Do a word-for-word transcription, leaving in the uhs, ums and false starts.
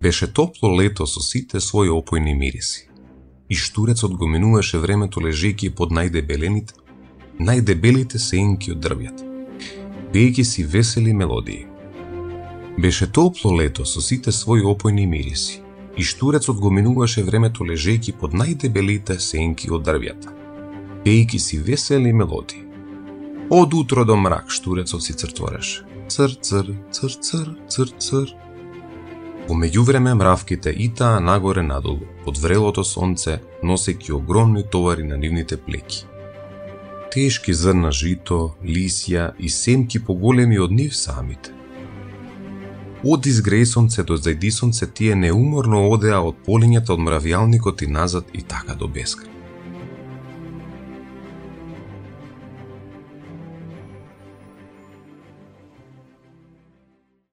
Беше топло лето со сите своји опојни мириси. И штурецот го минуваше времето лежејќи под најдебелените, најдебелите сенки од дрвјата, пеејќи си весели мелодии. Беше топло лето со сите своји опојни мириси. И штурецот го минуваше времето лежејќи под најдебелите сенки од дрвјата, пеејќи си весели мелодии. Од утро до мрак штурецот си цртвореше. Цр, цр, цр, цр, цр, цр. По меѓувреме мравките итаа нагоре надолу, под врелото сонце, носејќи огромни товари на нивните плеки. Тешки зрна жито, лисја и семки поголеми од нив самите. Од изгреј сонце до зајди сонце тие неуморно одеа од полињата од мравјалникот и назад и така до бескрај.